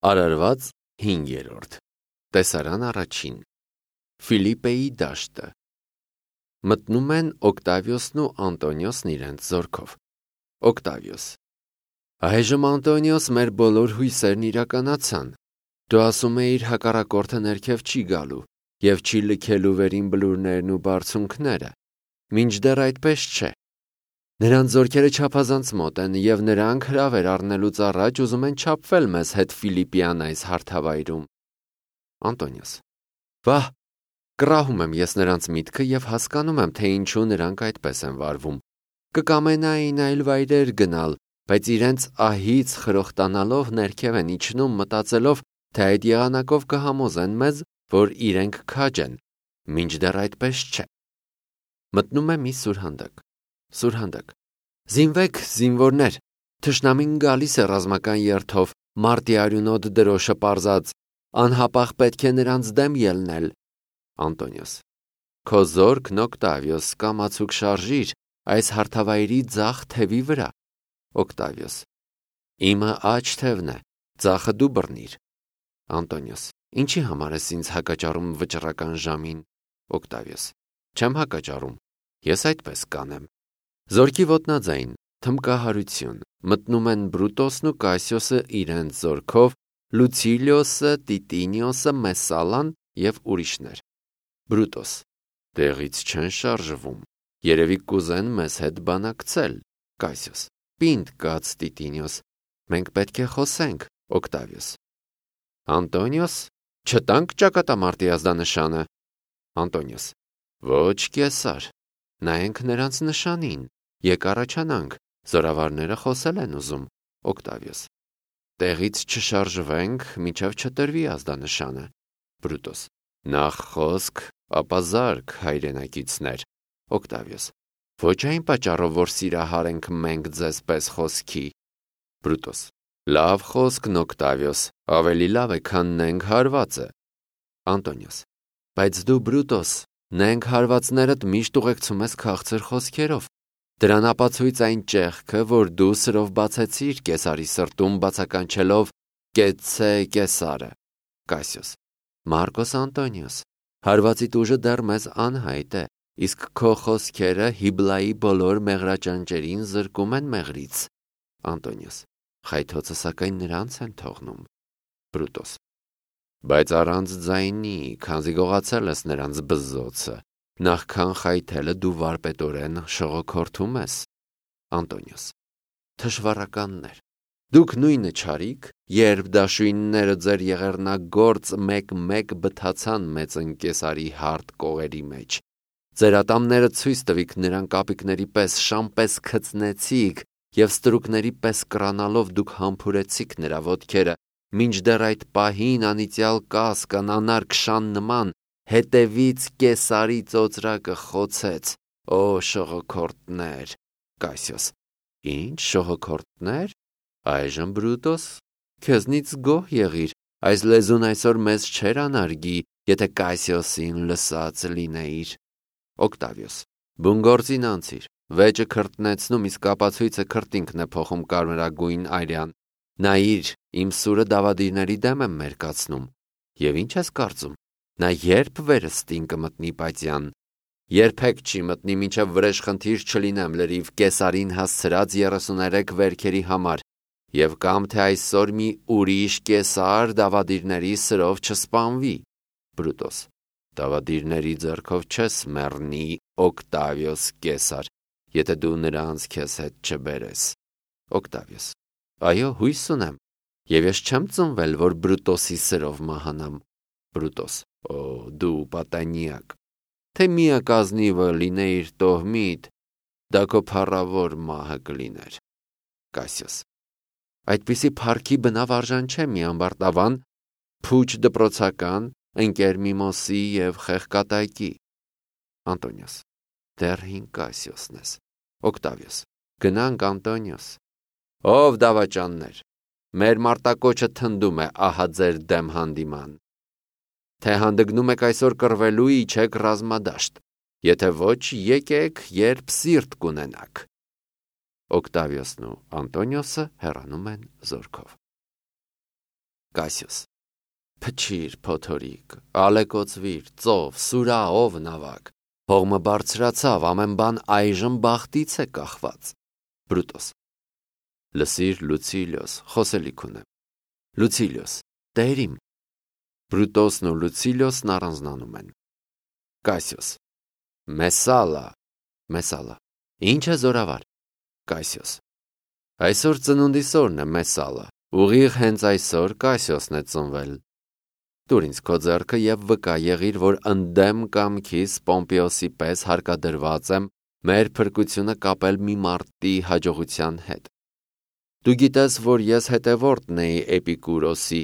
Արարված 5-րդ Տեսարան առաջին Ֆիլիպպեի դաշտը Մտնում են Օկտավիոսն ու Անտոնիոսն իրենց զորքով։ Օկտավիոս. Այժմ Անտոնիոս, մեր բոլոր հույսերն իրականացան։ Դու ասում էիր հակառակորդը ներքև չի գալու և չի լքելու վերին բլուրներն ու բարձունքները։ Մինչդեռ այդպես չէ։ Նրանց զորքերը չափազանց մոտ են, և նրանք հրավեր առնելուց առաջ ուզում են չափվել մեզ հետ Ֆիլիպպյան այս հարթավայրում։ Անտոնիոս. Վահ, կռահում եմ ես նրանց միտքը և հասկանում եմ, թե ինչու նրանք այդպես են վարվում։ Կկամենային այլ վայրեր գնալ, բայց իրենց ահից խրոխտանալով ներքև են իջնում, մտածելով, թե այդ եղանակով կհամոզեն մեզ, որ իրենք քաջ են, մինչդեռ այդպես չէ։ Մտնում է մի սուրհանդակ։ Սուրհանդակ. Զինվեք, զինվորներ, թշնամին գալիս է ռազմական երթով, մարտի արյունոտ դրոշը պարզած, անհապաղ պետք է նրանց դեմ ելնել։ Անտոնիոս. Քո զորքն Օկտավիոս, կամացուկ շարժիր այս հարթավայրի ձախ թևի վրա։ Օկտավիոս. Իմը աջ թևն է, ձախը դու բռնիր։ Անտոնիոս. Ինչի համար ես ինձ հակաճառում վճռական ժամին։ Օկտավիոս. Չեմ հակաճառում, ես այդպես կանեմ։ Զորքի ոտնաձայն, թմկահարություն, մտնում են Բրուտոսն ու Կասիոսը իրենց զորքով, Լուցիլիոսը, Տիտինիոսը, Մեսալան և ուրիշներ։ Բրուտոս. Տեղից չեն շարժվում, երևի կուզեն մեզ հետ բանակցել։ Կասիոս. Պինդ կաց, Տիտինիոս, մենք պետք է խոսենք։ Օկտավիոս. Անտոնիոս, չտանք ճակատամարտի ազդանշանը։ Անտոնիոս. Ոչ, կեսար, նայենք նրանց նշանին, եկ առաջանանք, զորավարները խոսել են ուզում։ Օկտավիոս. Տեղից չշարժվենք, մինչև չտրվի ազդանշանը։ Բրուտոս. Նախ խոսք, ապա զարք, հայրենակիցներ։ Օկտավիոս. Ոչ այն պատճառով, որ սիրահար ենք մենք ձեզ պես խոսքի։ Բրուտոս. Լավ խոսքն Օկտավիոս, ավելի լավ է, քան նենք հարվածը։ Անտոնիոս. Բայց դու, Բրուտոս, նենք հարվածներդ միշտ ուղեկցում ես քաղցր խոսքերով։ Դրան ապացույց այն ճեղքը, որ դու սրով բացեցիր կեսարի սրտում, բացականչելով կեցցե կեսարը։ Կասիոս. Մարկոս Անտոնիոս, հարվածիդ ուժը դեռ մեզ անհայտ է, իսկ քո խոսքերը Հիբլայի բոլոր մեղրաճանճերին զրկում են մեղրից։ Անտոնիոս. Խայթոցը սակայն նրանց են թողնում։ Բրուտոս. Բայց առանց ձայնի, քանզի գողացել ես նրանց բզզոցը, նախքան խայթելը դու վարպետորեն շողոքորթում ես։ Անտոնիոս. Թշվառականներ, դուք նույնը չարիք, երբ դաշույնները ձեր եղեռնագործ մեկ-մեկ բթացան մեծն կեսարի հարթ կողերի մեջ։ Ձեր ատամները ցույց տվիք նրան կապիկների պես շամպես քծնեցիք և ստրուկների պես կռանալով դուք համբուրեցիք նրա ոտքերը, մինչդեռ այդ պահին անիծյալ կասկան անարգշան նման հետևից կեսարի ծոծրակը խոցեց։ Օ շողոքորթներ։ Կասիոս. Ինչ շողոքորթներ։ Այժմ Բրուտոս, քեզնից գոհ եղիր, այս լեզուն այսօր մեզ չէր անարգի, եթե Կասիոսին լսած լինեիր։ Օկտավիոս. Բուն գործին անցիր, վեճը քրտնեցնում, իսկ ապացույցը քրտինքն է փոխում կարմրագույն այրյան։ Նայիր, իմ սուրը դավադիրների դեմ եմ մերկացնում։ Եվ ինչ ես կարծում, նա երբ վերստին կմտնի պատյան։ Երբեք չի մտնի, մինչև վրեժխնդիր չլինեմ լրիվ կեսարին հասցրած 33 վերքերի համար, և կամ թե այսօր մի ուրիշ կեսար դավադիրների սրով չսպանվի։ Բրուտոս. Դավադիրների ձեռքով չես մեռնի, Օկտավիոս կեսար, եթե դու նրանց քեզ հետ չբերես։ Օկտավիոս. Այո, հույս ունեմ, և ես չեմ ծնվել, որ Բրուտոսի սրով մահանամ։ Բրուտոս. Օ, դու պատանյակ, թե միակ ազնիվը լինեիր տոհմիդ, դա քո փառավոր մահը կլիներ։ Կասիոս. Այդպիսի փառքի բնավ արժան չէ մի ամբարտավան, փուչ դպրոցական, ընկեր Միմոսի և խեղկատակի։ Անտոնիոս. Դեռ հին Կասիոսն ես։ Օկտավիոս. Գնանք, Անտոնիոս։ Ով դավաճաններ, մեր մարտակոչը թնդում է ահա ձեր դեմ հանդիման։ Թե հանդգնում եք այսօր կռվելու, իջեք ռազմադաշտ, եթե ոչ, եկեք, երբ սիրտ կունենաք։ Օկտավիոսն ու Անտոնիոսը հեռանում են զորքով։ Կասիոս. Փչիր, փոթորիկ, ալեկոծվիր, ծով, սուրա, ով նավակ, հողմը բարձրացավ, ամեն բան այժմ բախտից է կախված։ Բրուտոս. Լսիր, Լուցիլիոս, խոսելիք ունեմ։ Լուցիլիոս. Տեր իմ։ Բրուտոսն ու Լուցիլիոսն առանձնանում են։ Կասիոս. Մեսալա, ինչ է զորավար։ Կասիոս. Այսօր ծնունդիս օրն է Մեսալա, ուղիղ հենց այսօր Կասիոսն է ծնվել։ Տուր ինձ քո ձեռքը և վկա եղիր, որ ընդդեմ կամքիս Պոմպեոսի պես հարկադրված եմ մեր փրկությունը կապել մի մարդի հաջողության հետ։ Դու գիտես, որ ես հետևորդն էի Էպիկուրոսի,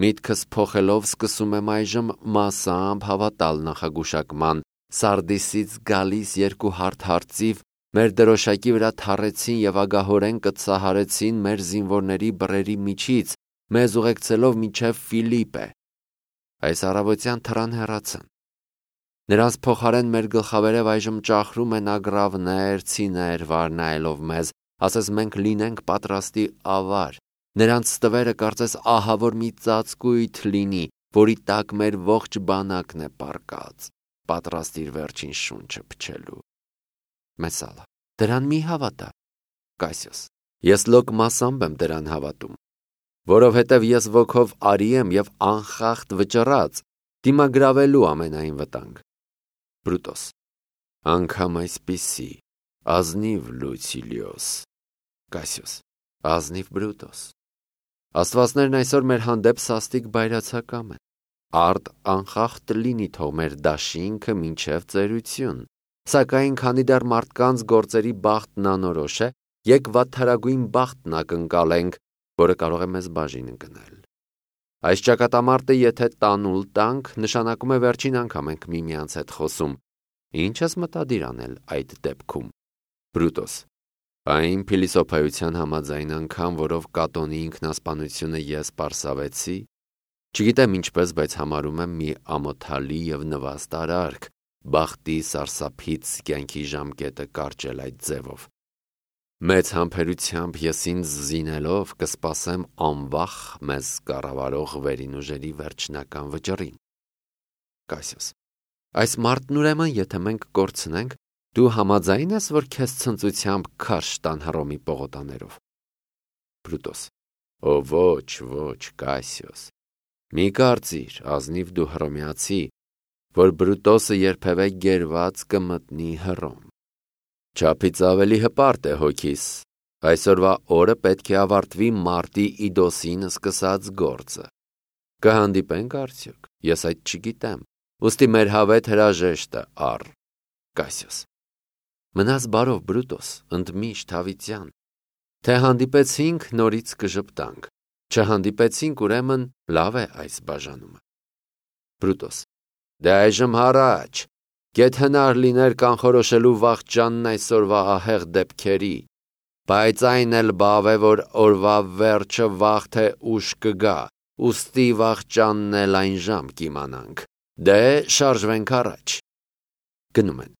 միտքս փոխելով սկսում եմ այժմ մասամբ հավատալ նախագուշակման, Սարդիսից գալիս երկու հարթ հարծիվ մեր դրոշակի վրա թառեցին և ագահորեն կծահարեցին մեր զինվորների բռերի միջից, մեզ ուղեկցելով մինչև Ֆիլիպպե։ Այս առավոտյան թռան հեռացան։ Նրանց փոխարեն մեր գլխավերև այժմ ճախրում են ագռավներ, ցիներ վարնայելով մեզ, ասես մենք լինենք պատրաստի ավար։ Նրանց ստվերը կարծես ահավոր մի ծածկույթ լինի, որի տակ մեր ողջ բանակն է պառկած, պատրաստ իր վերջին շունչը փչելու։ Մեսալա. Դրան մի հավատա։ Կասիոս. Ես լոկ մասամբ եմ դրան հավատում, որովհետև ես ոգով արի եմ և անխախտ վճռած, դիմագրավելու ամենայն վտանգ։ Բրուտոս. Անգամ այսպիսի, ազնիվ Լուցիլիոս։ Կասիոս. Ազնիվ Բրուտոս։ Աստվածներն այսօր մեր հանդեպ սաստիկ բայրացակամ են։ Արդ անխախտ լինի թող մեր դաշինքը մինչև ծերություն, սակայն քանի դեռ մարդկանց գործերի բախտն անորոշ է, եկ վատթարագույն բախտն ակնկալենք, որը կարող է մեզ բաժին ընկնել։ Այս ճակատամարտը եթե տանուլ տանք, նշանակում է վերջին անգամ ենք միմյանց հետ խոսում։ Ինչ ես մտադիր անել այդ դեպքում։ Բրուտոս. Այն փիլիսոփայության համաձայն անգամ, որով Կատոնի ինքնասպանությունը ես պարսավեցի, չգիտեմ ինչպես, բայց համարում եմ մի ամոթալի և նվաստ արարք, բախտի սարսափից կյանքի ժամկետը կարճել այդ ձևով։ Մեծ համբերությամբ ես ինձ զինելով կսպասեմ անվախ մեզ կառավարող վերին ուժերի վերջնական վճռին։ Կասիոս. Այս մարդն ուրեմն եթե մենք կորցնենք, դու համաձայն ես, որ քեզ ցնծությամբ քարշ տան Հռոմի պողոտաներով։ Բրուտոս. Ո ոչ, Կասիոս, մի կարծիր, ազնիվ դու հռոմեացի, որ Բրուտոսը երբևէ գերված կմտնի Հռոմ։ Չափից ավելի հպարտ է հոգիս, այսօրվա օրը պետք է ավարտվի մարտի Իդոսին սկսած գործը։ Կհանդիպենք արդյոք, ես այդ չգիտեմ, ուստի մեր հավետ հրաժեշտը առ։ Կասիոս. Մնաս բարով Բրուտոս, ընդմիշտ հավիտյան, թե հանդիպեցինք նորից կժպտանք, չհանդիպեցինք ուրեմն լավ է այս բաժանումը։ Բրուտոս. Դե այժմ հառաչ, գեթ հնար լիներ կանխորոշելու վախճանն այսօրվա ահեղ դեպքերի, բայց այն էլ բավ է, որ օրվա վերջը վաղ թե ուշ կգա, ուստի վախճանն էլ այն ժամ կիմանանք։ Դե շարժվենք առաջ։ Գնում են։